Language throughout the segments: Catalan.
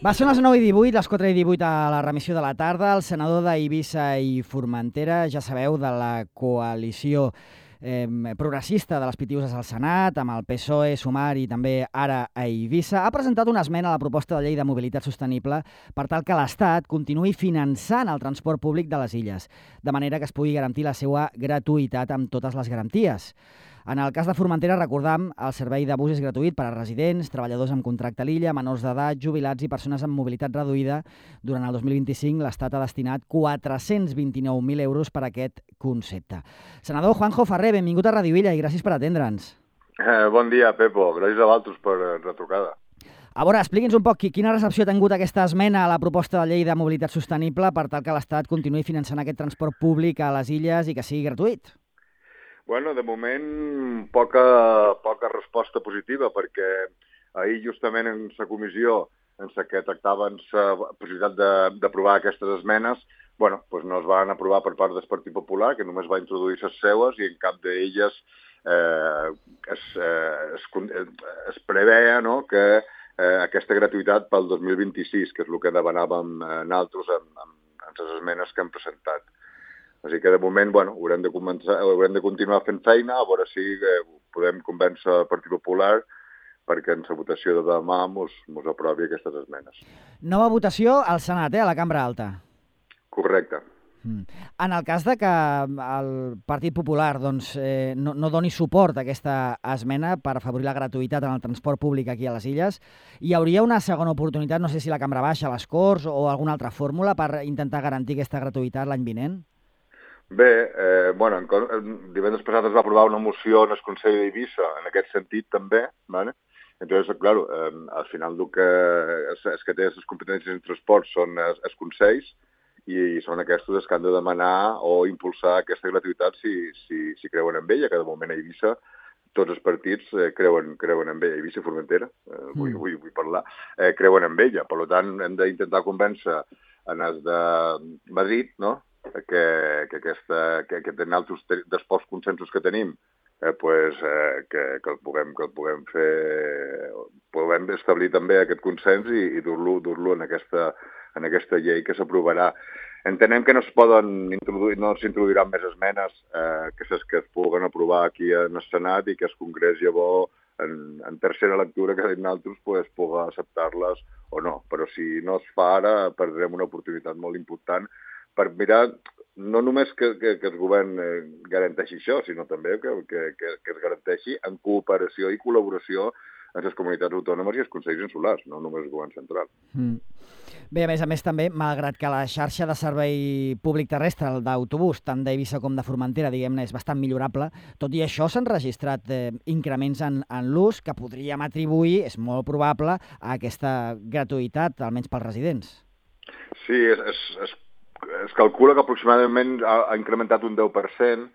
Va, són les 9:18, les 4:18 a la remissió de la tarda. El senador d'Eivissa i Formentera, ja sabeu, de la coalició progressista de les Pitiüses al Senat, amb el PSOE, Sumar i també ara a Eivissa, ha presentat una esmena a la proposta de llei de mobilitat sostenible per tal que l'Estat continuï finançant el transport públic de les illes, de manera que es pugui garantir la seva gratuïtat amb totes les garanties. En el cas de Formentera, recordam, el servei de bus és gratuït per a residents, treballadors amb contracte a l'illa, menors d'edat, jubilats i persones amb mobilitat reduïda. Durant el 2025, l'Estat ha destinat 429.000 euros per a aquest concepte. Senador Juanjo Ferrer, benvingut a Radio Illa i gràcies per atendre'ns. Bon dia, Pepo. Gràcies a vosaltres per la trucada. A veure, expliqui'ns un poc quina recepció ha tingut aquesta esmena a la proposta de llei de mobilitat sostenible per tal que l'Estat continuï finançant aquest transport públic a les illes i que sigui gratuït. Bueno, de moment, poca resposta positiva, perquè ahir justament en la comissió en la que tractaven la possibilitat d'aprovar aquestes esmenes, bueno, doncs no es van aprovar per part del Partit Popular, que només va introduir les seues i en cap d'elles es preveia, no, que aquesta gratuïtat pel 2026, que és el que demanàvem nosaltres en les esmenes que hem presentat. Així que, de moment, bueno, haurem de continuar fent feina, a veure si podem convèncer el Partit Popular perquè en la votació de demà mos aprovi aquestes esmenes. Nova votació al Senat, a la Cambra Alta. Correcte. En el cas de que el Partit Popular no doni suport a aquesta esmena per afavorir la gratuïtat en el transport públic aquí a les illes, hi hauria una segona oportunitat, no sé si la Cambra Baixa, les Corts o alguna altra fórmula per intentar garantir aquesta gratuïtat l'any vinent? Bé, divendres passat es va aprovar una moció en el Consell d'Eivissa, en aquest sentit també, ¿vale? Entonces, claro, al final el que té les competències en transport són els consells i són aquests els que han de demanar o impulsar aquesta gratuïtat si creuen en ella, que de moment a Eivissa tots els partits creuen en ella, Eivissa i Formentera, vull parlar, creuen en ella. Per tant, hem d'intentar convèncer en els de Madrid, no?, que tenen altres dels pocs consensos que tenim, que el puguem fer, puguem establir també aquest consens i dur-lo en aquesta llei que s'aprovarà. Entenem que no s'introduiran més esmenes que es puguen aprovar aquí en el Senat i que el Congrés llavors en tercera lectura que nosaltres pugui acceptar-les o no. Però si no es fa ara perdrem una oportunitat molt important per mirar no només que el govern garanteixi això, sinó també que es garanteixi en cooperació i col·laboració amb les comunitats autònomes i els consells insulars, no només el govern central. Bé, a més també, malgrat que la xarxa de servei públic terrestre, el d'autobús, tant d'Eivissa com de Formentera, diguem-ne, és bastant millorable, tot i això s'han registrat increments en l'ús que podríem atribuir, és molt probable, a aquesta gratuïtat, almenys pels residents. Sí, es calcula que aproximadament ha incrementat un 10%.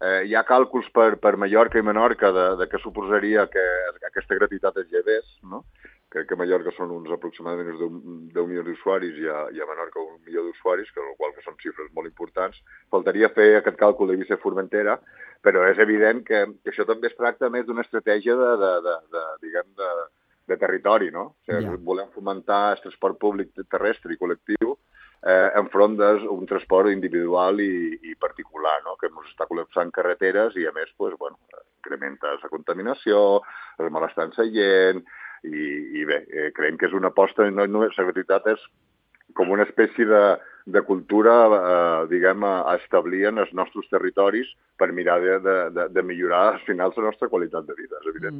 Hi ha càlculs per Mallorca i Menorca de què suposaria que aquesta gratuïtat es llevés, no? Crec que a Mallorca són uns aproximadament 10 milions d'usuaris i a Menorca 1 milió d'usuaris, que són xifres molt importants. Faltaria fer aquest càlcul d'Eivissa i Formentera, però és evident que això també es tracta més d'una estratègia de territori, no? O sigui, volem fomentar el transport públic terrestre i col·lectiu enfront d'un transport individual i particular, no?, que ens està col·lapsant carreteres i, a més, incrementa la contaminació, el malestar en la gent, i bé, creiem que és una aposta, la gratuïtat és com una espècie de cultura, a establir en els nostres territoris per mirar de millorar, al final, la nostra qualitat de vida, és evident.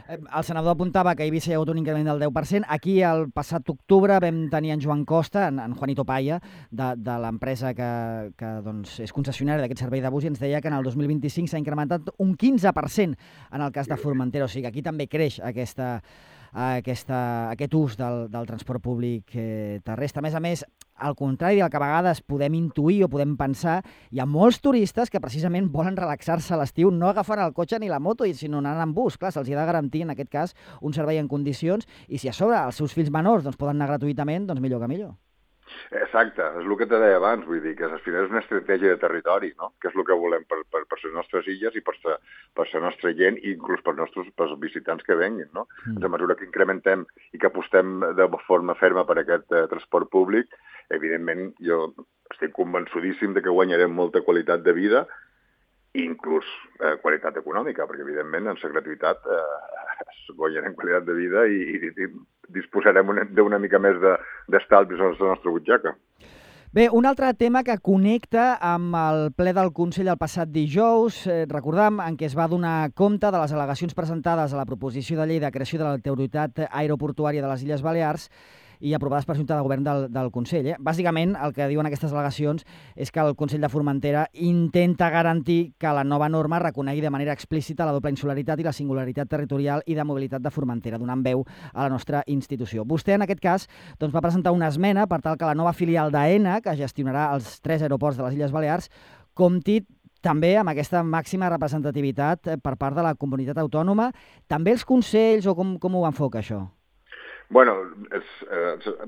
El senador apuntava que a Eivissa hi ha hagut un increment del 10%. Aquí, el passat octubre, vam tenir en Joan Costa, en Juanito Paya, de l'empresa que és concessionària d'aquest servei de bus, i ens deia que en el 2025 s'ha incrementat un 15% en el cas de Formentera. O sigui que aquí també creix aquest ús del transport públic terrestre. A més, al contrari del que a vegades podem intuir o podem pensar, hi ha molts turistes que precisament volen relaxar-se a l'estiu, no agafant el cotxe ni la moto, sinó anant en bus. Clar, se'ls ha de garantir, en aquest cas, un servei en condicions, i si a sobre els seus fills menors poden anar gratuïtament, doncs millor que millor. Exacte, és el que te deia abans, vull dir que al final és una estratègia de territori, no? Que és el que volem per les nostres illes i per la nostra gent i inclús pels visitants que venguin, no? A mesura que incrementem i que apostem de forma ferma per aquest transport públic, evidentment jo estic convençudíssim de que guanyarem molta qualitat de vida i inclús qualitat econòmica, perquè evidentment en la gratuïtat guanyarem qualitat de vida i disposarem d'una mica més d'estalvis a la nostra butxaca. Bé, un altre tema que connecta amb el ple del Consell el passat dijous, recordam, en què es va donar compte de les al·legacions presentades a la proposició de llei de creació de l'autoritat aeroportuària de les Illes Balears i aprovades per Junta de Govern del Consell. Bàsicament, el que diuen aquestes al·legacions és que el Consell de Formentera intenta garantir que la nova norma reconegui de manera explícita la doble insularitat i la singularitat territorial i de mobilitat de Formentera, donant veu a la nostra institució. Vostè, en aquest cas, doncs, va presentar una esmena per tal que la nova filial d'AENA, que gestionarà els 3 aeroports de les Illes Balears, compti també amb aquesta màxima representativitat per part de la comunitat autònoma. També els consells, o com ho enfoca això? Bueno,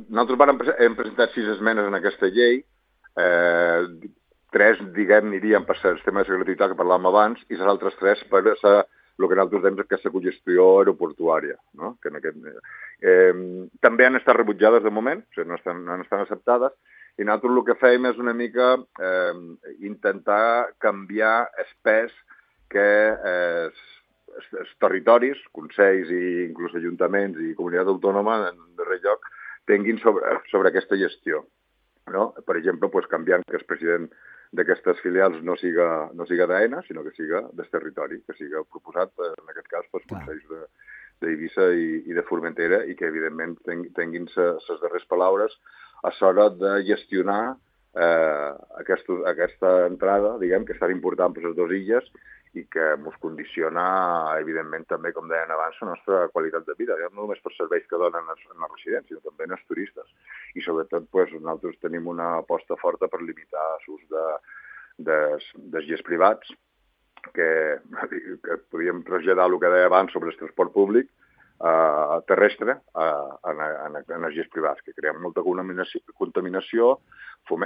nosaltres hem presentat 6 esmenes en aquesta llei, 3, diguem, anirien per els temes de gratuïtat que parlàvem abans i les altres 3 per el que nosaltres dèiem que és la cogestió aeroportuària, no? Que també han estat rebutjades de moment, o sigui, no estan acceptades, i nosaltres el que fèiem és una mica intentar canviar el pes que els territoris, consells i inclús ajuntaments i comunitat autònoma, en darrer lloc, tinguin sobre aquesta gestió. No? Per exemple, canviant que el president d'aquestes filials no siga d'AENA, sinó que siga del territori, que siga proposat, en aquest cas, pels consells d'Eivissa i de Formentera i que, evidentment, tinguin les darreres paraules a l'hora de gestionar aquesta entrada, diguem, que és tan important per les dues illes i que ens condiciona, evidentment, també, com deien abans, la nostra qualitat de vida, no només per serveis que donen en la residència, sinó també en els turistes. I, sobretot, nosaltres tenim una aposta forta per limitar l'ús dels jets privats, que podíem traslladar el que deia abans sobre el transport públic terrestre en energies privats, que creen molta contaminació,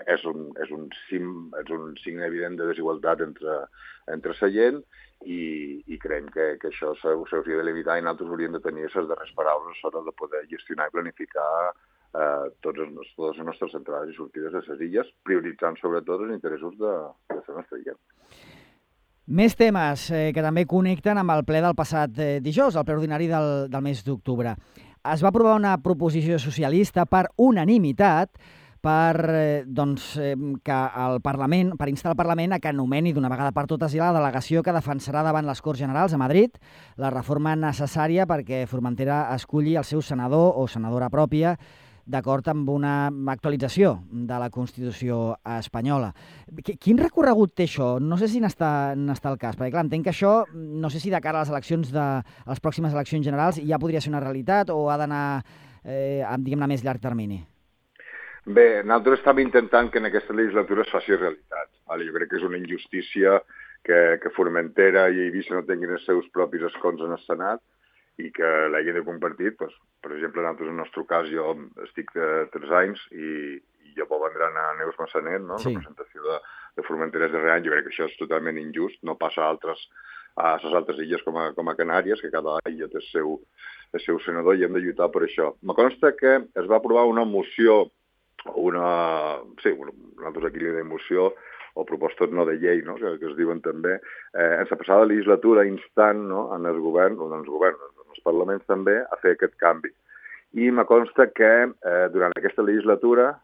és un signe evident de desigualtat entre la gent i creiem que això s'hauria de limitar i nosaltres hauríem de tenir les darreres paraules a l'hora de poder gestionar i planificar totes les nostres entrades i sortides de les illes, prioritzant sobretot els interessos de la nostra illa. Més temes que també connecten amb el ple del passat dijous, el ple ordinari del mes d'octubre. Es va aprovar una proposició socialista per unanimitat per instar el Parlament a que nomeni d'una vegada per totes la delegació que defensarà davant les Corts Generals a Madrid la reforma necessària perquè Formentera esculli el seu senador o senadora pròpia d'acord amb una actualització de la Constitució espanyola. Quin recorregut té això? No sé si n'està el cas, perquè clar, entenc que això, no sé si de cara a les pròximes eleccions generals ja podria ser una realitat o ha d'anar, diguem-ne, a més llarg termini. Bé, nosaltres estàvem intentant que en aquesta legislatura es faci realitat. Jo crec que és una injustícia que Formentera i Eivissa no tinguin els seus propis escons en el Senat i que l'hagin de compartir. Per exemple, nosaltres, en el nostre cas, jo estic 3 anys i jo puc vendre a Neus Massanet, no? Sí. Representació de Formentera darrer any. Jo crec que això és totalment injust. No passa a les altres illes com a Canàries, que cada illa té el seu senador i hem de lluitar per això. Me consta que es va aprovar una moció, nosaltres aquí li dèiem moció, o propostes no de llei, no? que es diuen també, en la passada legislatura instant, no? en els parlaments també, a fer aquest canvi. I me consta que durant aquesta legislatura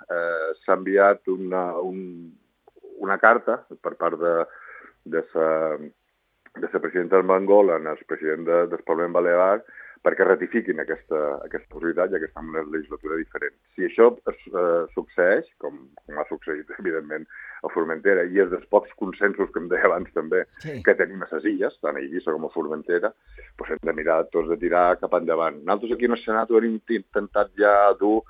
s'ha enviat una carta per part de la presidenta Armengol al president del Parlament Balear perquè ratifiquin aquesta possibilitat, ja que estem en una legislatura diferent. Si això succeeix, com ha succeït, evidentment, a Formentera, i és dels pocs consensos que em deia abans també, que tenim a les illes, tant a Eivissa com a Formentera, doncs hem de mirar tots de tirar cap endavant. Nosaltres aquí en el Senat ho hem intentat ja dur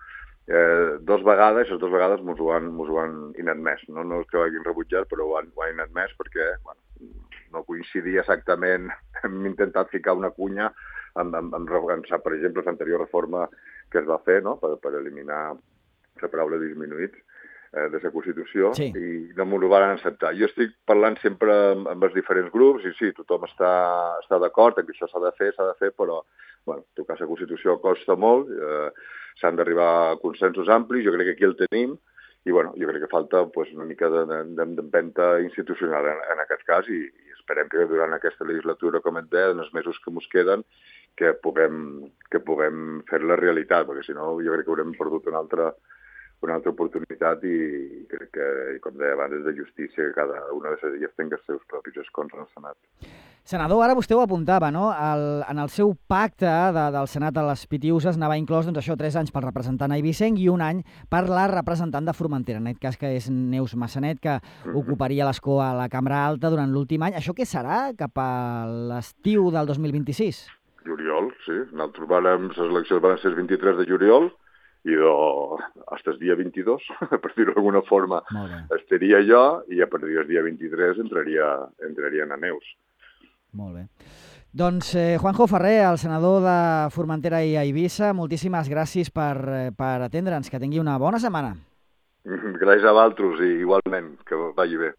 2 vegades, i les 2 vegades ens ho han inadmès. No és que ho hagin rebutjat, però ho han inadmès perquè no coincidia exactament. Hem intentat ficar una cunya per exemple, l'anterior reforma que es va fer, no? per eliminar la paraula disminuïts, des de Constitució, Sí. i no m'ho van acceptar. Jo estic parlant sempre amb els diferents grups, i sí, tothom està d'acord que això s'ha de fer, però bueno, tocar la Constitució costa molt, s'han d'arribar a consensos amplis, jo crec que aquí el tenim, i bueno, jo crec que falta una mica d'empenta institucional en aquest cas, i esperem que durant aquesta legislatura, com et deia, en els mesos que ens queden, que puguem fer-la realitat, perquè si no jo crec que haurem perdut una altra oportunitat, i crec que, com deia abans, és de justícia que cada una de les illes tingui els seus propis escons en el Senat. Senador, ara vostè ho apuntava, no? En el seu pacte del Senat a les Pitiüses anava inclòs, doncs això, 3 anys pel representant eivissenc i 1 any per la representant de Formentera, en aquest cas que és Neus Massanet, que ocuparia l'escó a la Cambra Alta durant l'últim any. Això què serà cap a l'estiu del 2026? Juliol, sí. Nosaltres les eleccions van ser el 23 de juliol, i fins el dia 22, per dir-ho d'alguna forma, estaria jo, i a partir del dia 23 entrarien a Neus. Molt bé. Doncs Juanjo Ferrer, el senador de Formentera i Eivissa, moltíssimes gràcies per atendre'ns. Que tingui una bona setmana. Gràcies a vosaltres, i igualment, que vagi bé.